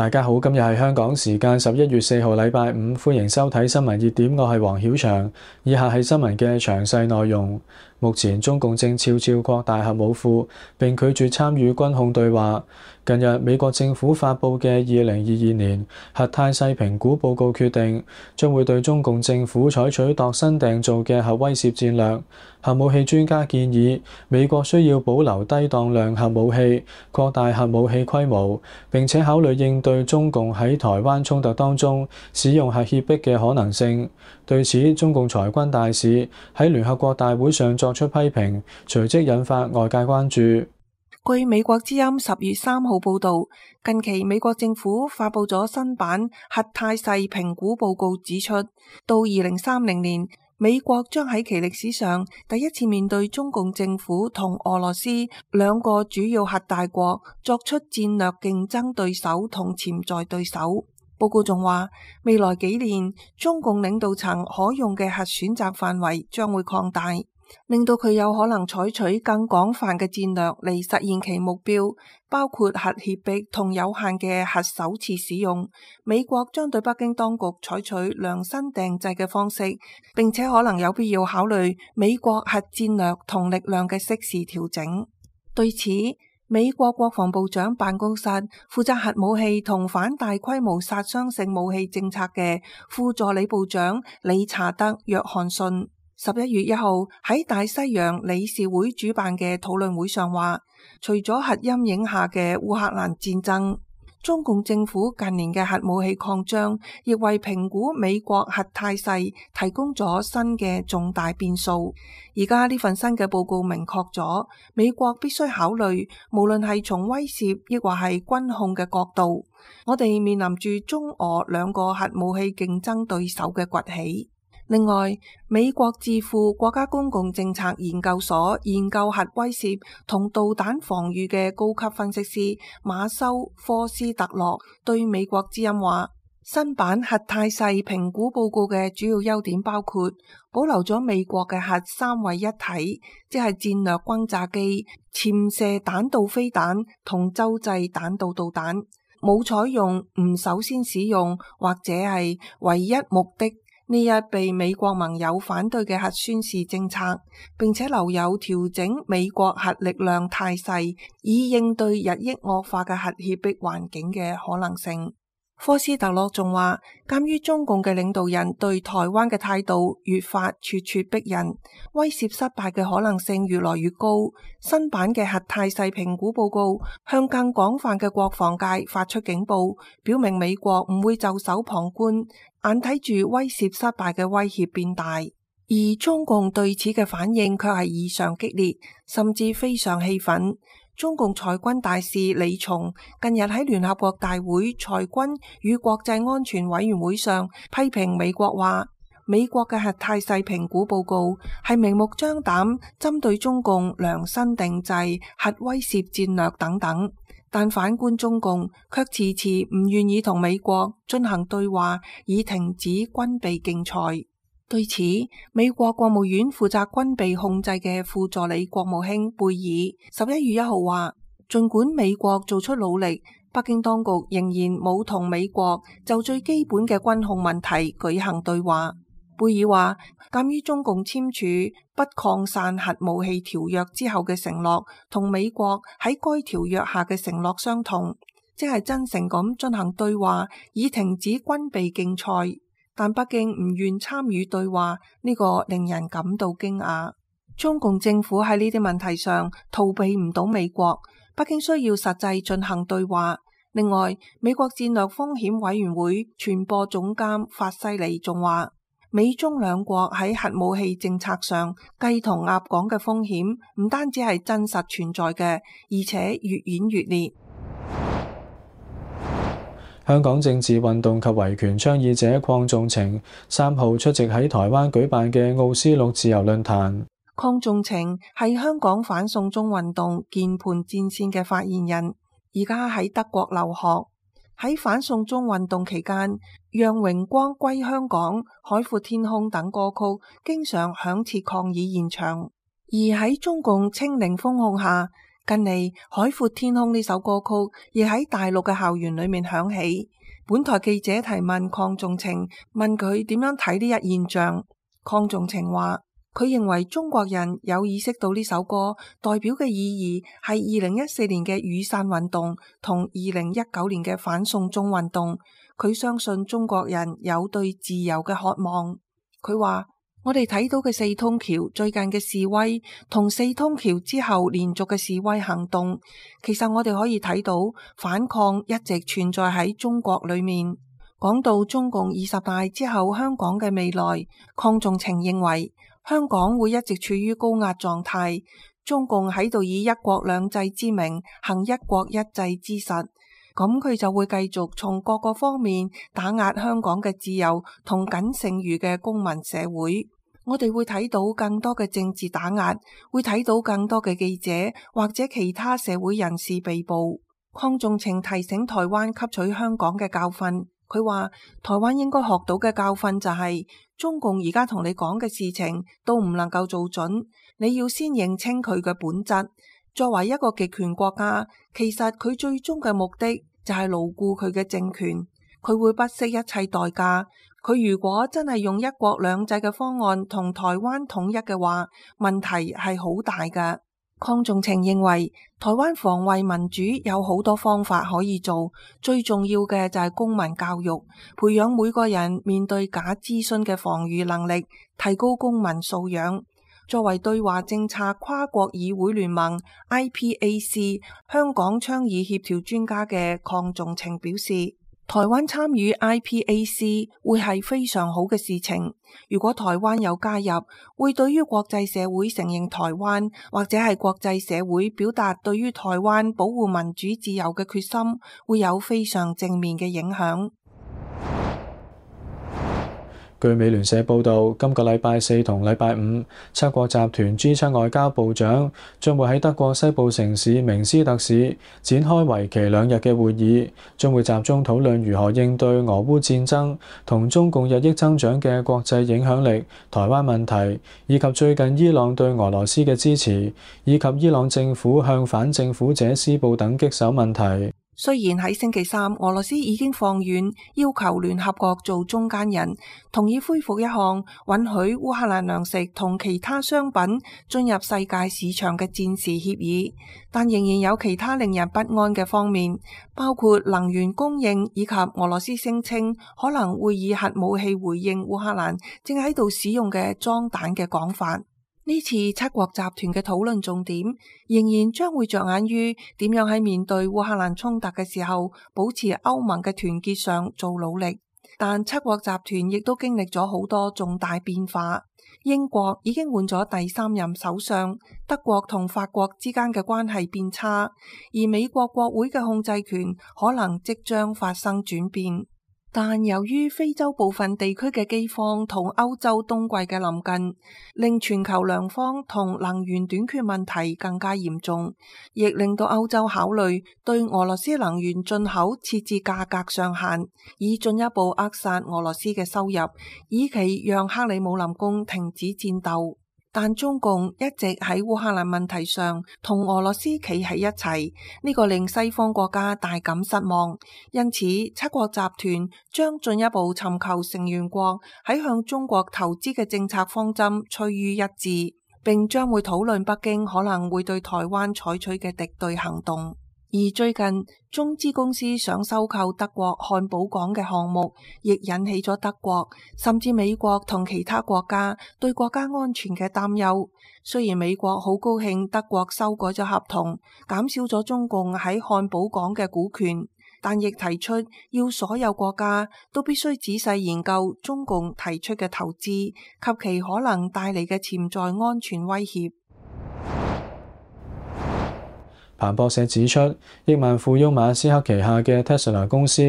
大家好，今日係香港時間11月4號禮拜五，歡迎收睇新聞熱點，我係黃曉翔。以下係新聞嘅詳細內容。目前中共正悄悄擴大核武庫，並拒絕參與軍控對話。近日，美國政府發布嘅2022年核態勢評估報告決定，將會對中共政府採取度身訂造嘅核威懾戰略。核武器專家建議，美國需要保留低當量核武器，擴大核武器規模，並且考慮應對中共喺台灣衝突當中使用核脅迫嘅可能性。對此，中共裁軍大使喺聯合國大會上作出批評，隨即引發外界關注。據美國之音10月3號報導，近期美國政府發布咗新版核態勢評估報告，指出到2030年，美國將喺其歷史上第一次面對中共政府同俄羅斯兩個主要核大國作出戰略競爭對手同潛在對手。報告仲話，未來幾年中共領導層可用嘅核選擇範圍將會擴大，令到佢有可能採取更廣泛嘅戰略嚟實現其目標，包括核脅迫同有限嘅核首次使用。美國將對北京當局採取量身訂製嘅方式，並且可能有必要考慮美國核戰略同力量嘅適時調整。對此，美國國防部長辦公室負責核武器同反大規模殺傷性武器政策嘅副助理部長理查德·約翰遜11月1號喺大西洋理事會主辦嘅討論會上話，除咗核陰影下嘅烏克蘭戰爭，中共政府近年嘅核武器擴張亦為評估美國核態勢提供咗新嘅重大變數。而家呢份新嘅報告明確咗，美國必須考慮，無論係從威懾抑或係軍控嘅角度，我哋面臨住中俄兩個核武器競爭對手嘅崛起。另外，美國智庫國家公共政策研究所研究核威懾同導彈防禦嘅高級分析師馬修科斯特洛對美國之音話，新版核態勢評估報告嘅主要優點包括保留咗美國嘅核三位一體，即係戰略轟炸機、潛射彈道飛彈同洲際彈道導彈，冇採用唔首先使用或者係唯一目的呢一被美國盟友反對嘅核宣示政策，並且留有調整美國核力量態勢以應對日益惡化嘅核脅迫環境嘅可能性。科斯特洛仲話，鑒於中共嘅領導人對台灣嘅態度越發咄咄逼人，威懾失敗嘅可能性越來越高，新版嘅核態勢評估報告向更廣泛嘅國防界發出警報，表明美國唔會袖手旁觀，眼睇住威懾失敗嘅威脅變大。而中共對此嘅反應卻係異常激烈，甚至非常氣憤。中共裁軍大使李松近日喺聯合國大會裁軍與國際安全委員會上批評美國話，美國嘅核態勢評估報告係明目張膽針對中共量身定製核威懾戰略等等，但反觀中共卻遲遲唔願意同美國進行對話，以停止軍備競賽。對此，美國國務院負責軍備控制嘅副助理國務卿貝爾11月1號話，儘管美國做出努力，北京當局仍然冇同美國就最基本嘅軍控問題舉行對話。貝爾話，鑒於中共簽署不擴散核武器條約之後嘅承諾，同美國喺該條約下嘅承諾相同，即係真誠咁進行對話，以停止軍備競賽。但北京唔願參與對話，呢個令人感到驚訝。中共政府喺呢啲問題上逃避唔到美國，北京需要實際進行對話。另外，美國戰略風險委員會傳播總監法西里仲話，美中兩國喺核武器政策上雞同鴨講嘅風險唔單止係真實存在嘅，而且越演越烈。香港政治運動及維權倡議者鄺頌晴3號出席喺台灣舉辦嘅奧斯陸自由論壇。鄺頌晴係香港反送中運動鍵盤戰線嘅發言人，而家喺德國留學。喺反送中運動期間，《讓榮光歸香港》、《海闊天空》等歌曲經常響徹抗議現場。而喺中共清零封控下，近嚟海闊天空呢首歌曲亦喺大陸嘅校園裏面響起。本台記者提問鄺仲情，問佢點樣睇呢一現象。鄺仲情話佢認為中國人有意識到呢首歌代表嘅意義係2014年嘅雨傘運動同2019年嘅反送中運動。佢相信中國人有對自由嘅渴望。佢話我哋睇到嘅四通橋最近嘅示威同四通橋之後連續嘅示威行動，其實我哋可以睇到反抗一直存在喺中國裏面。講到中共20大之後香港嘅未來，鄺仲情認為香港會一直處於高壓狀態，中共喺度以一國兩制之名行一國一制之實，咁佢就會繼續從各個方面打壓香港嘅自由同僅剩餘嘅公民社會。我哋會睇到更多嘅政治打壓，會睇到更多嘅記者或者其他社會人士被捕。鄺仲情提醒台灣吸取香港嘅教訓，佢話台灣應該學到嘅教訓就係中共而家同你講嘅事情都唔能夠做準，你要先認清佢嘅本質。作為一個極權國家，其實佢最終嘅目的就係牢固佢嘅政權，佢會不惜一切代價。佢如果真係用一國兩制嘅方案同台灣統一嘅話，問題係好大㗎。鄺仲情認為台灣防衛民主有好多方法可以做，最重要嘅就係公民教育，培養每個人面對假資訊嘅防禦能力，提高公民素養。作為對華政策跨國議會聯盟 IPAC 香港倡議協調專家嘅鄺仲情表示，台灣參與 IPAC 會係非常好嘅事情。如果台灣有加入，會對於國際社會承認台灣，或者係國際社會表達對於台灣保護民主自由嘅決心，會有非常正面嘅影響。據美聯社報導，今個禮拜四同禮拜五，七國集團 G7 外交部長將會喺德國西部城市明斯特市展開為期2日嘅會議，將會集中討論如何應對俄烏戰爭同中共日益增長嘅國際影響力、台灣問題，以及最近伊朗對俄羅斯嘅支持，以及伊朗政府向反政府者施暴等棘手問題。雖然喺星期三，俄羅斯已經放軟，要求聯合國做中間人，同意恢復一項允許烏克蘭糧食同其他商品進入世界市場嘅戰時協議，但仍然有其他令人不安嘅方面，包括能源供應以及俄羅斯聲稱可能會以核武器回應烏克蘭正喺度使用嘅裝彈嘅講法。呢次七國集團嘅討論重點仍然將會着眼於點樣喺面對烏克蘭衝突嘅時候保持歐盟嘅團結上做努力，但七國集團亦都經歷咗好多重大變化。英國已經換咗第3任首相，德國同法國之間嘅關係變差，而美國國會嘅控制權可能即將發生轉變。但由於非洲部分地區嘅饑荒同歐洲冬季嘅臨近，令全球糧荒同能源短缺問題更加嚴重，亦令到歐洲考慮對俄羅斯能源進口設置價格上限，以進一步扼殺俄羅斯嘅收入，以期讓克里姆林宮停止戰鬥。但中共一直喺烏克蘭問題上同俄羅斯企喺一齊，呢個令西方國家大感失望。因此，七國集團將進一步尋求成員國喺向中國投資嘅政策方針趨於一致，並將會討論北京可能會對台灣採取嘅敵對行動。而最近中資公司想收購德國漢堡港嘅項目，亦引起咗德國甚至美國同其他國家對國家安全嘅擔憂。雖然美國好高興德國修改咗合同，減少咗中共喺漢堡港嘅股權，但亦提出要所有國家都必須仔細研究中共提出嘅投資及其可能帶嚟嘅潛在安全威脅。彭博社指出，億萬富翁馬斯克旗下嘅 Tesla 公司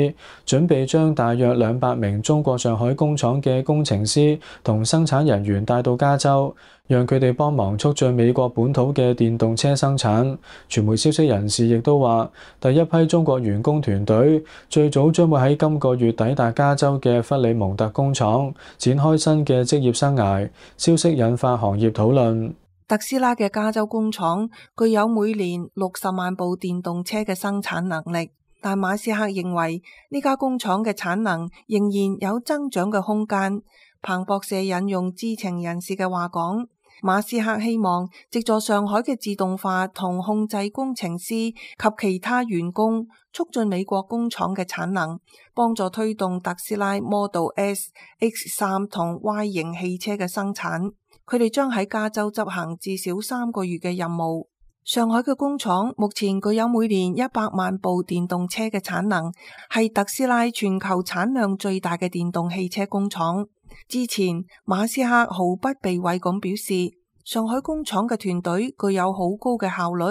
準備將大約200名中國上海工廠嘅工程師同生產人員帶到加州，讓佢哋幫忙促進美國本土嘅電動車生產。傳媒消息人士亦都話，第一批中國員工團隊最早將會喺今個月抵達加州嘅弗里蒙特工廠，展開新嘅職業生涯。消息引發行業討論。特斯拉嘅加州工廠具有每年60萬部電動車嘅生產能力，但馬斯克認為呢家工廠嘅產能仍然有增長嘅空間。彭博社引用知情人士嘅話講，馬斯克希望藉助上海嘅自動化同控制工程師及其他員工，促進美國工廠嘅產能，幫助推動特斯拉 Model S、X3 同 Y 型汽車嘅生產。佢哋將喺加州執行至少3個月嘅任務。上海嘅工廠目前具有每年100萬部電動車嘅產能，係特斯拉全球產量最大嘅電動汽車工廠。之前馬斯克毫不避諱咁表示，上海工廠嘅團隊具有好高嘅效率。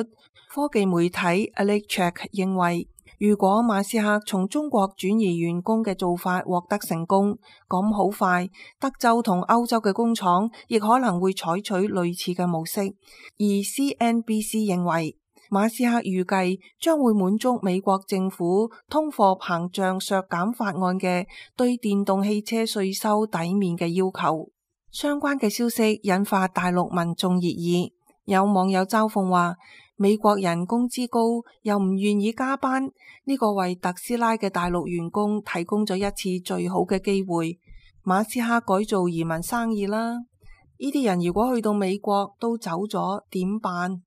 科技媒體 Electrek 認為，如果馬斯克從中國轉移員工嘅做法獲得成功，咁好快德州同歐洲嘅工廠亦可能會採取類似嘅模式。而 CNBC 認為，馬斯克預計將會滿足美國政府通貨膨脹削減法案嘅對電動汽車稅收抵免嘅要求。相關嘅消息引發大陸民眾熱議，有網友嘲諷話，美國人工資高又唔願意加班，呢個為特斯拉嘅大陸員工提供咗一次最好嘅機會。馬斯克改做移民生意啦，呢啲人如果去到美國都走咗點辦？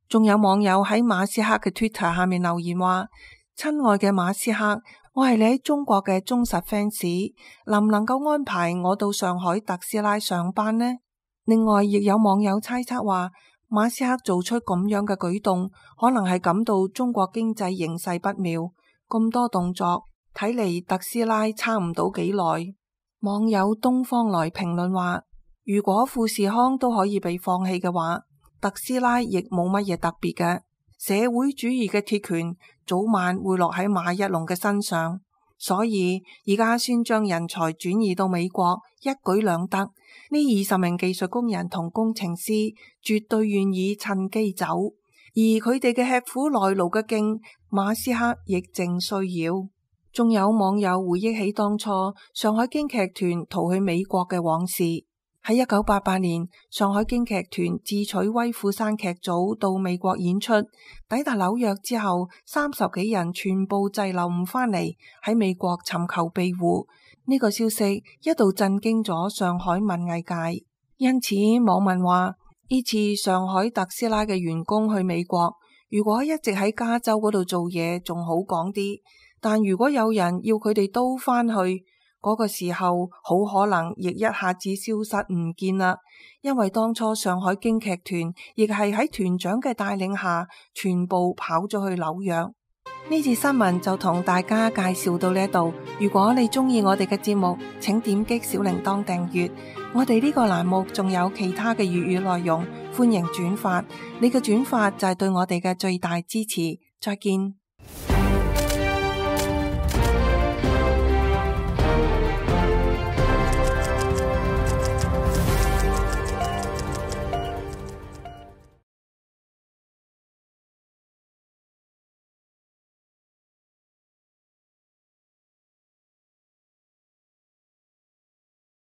仲有網友喺馬斯克嘅 Twitter 下面留言話，親愛嘅馬斯克，我係你喺中國嘅忠實 fans， 能唔能夠安排我到上海特斯拉上班呢？另外亦有網友猜測話，馬斯克做出咁樣嘅舉動，可能係感到中國經濟形勢不妙，咁多動作，睇嚟特斯拉撐唔到幾耐。網友東方來評論話，如果富士康都可以被放棄嘅話，特斯拉亦冇乜嘢特別嘅。社會主義嘅鐵拳早晚會落喺馬一龍嘅身上，所以而家先將人才轉移到美國，一舉兩得。呢20名技術工人同工程師絕對願意趁機走，而佢哋嘅吃苦耐勞嘅勁，馬斯克亦正需要。仲有網友回憶起當初上海京劇團逃去美國嘅往事。喺1988年，上海京劇團智取威虎山劇組到美國演出，抵達紐約之後，30幾人全部滯留唔返嚟，喺美國尋求庇護。呢個消息一度震驚咗上海文藝界，因此網民話，呢次上海特斯拉嘅員工去美國，如果一直喺加州嗰度做嘢仲好講啲，但如果有人要佢哋都返去，嗰個時候好可能亦一下子消失唔見啦，因為當初上海京劇團亦係喺團長嘅帶領下全部跑咗去紐約。呢次新聞就同大家介紹到呢度。如果你中意我哋嘅節目，請點擊小鈴鐺訂閱。我哋呢個欄目仲有其他嘅粵語內容，歡迎轉發。你嘅轉發就係對我哋嘅最大支持。再見。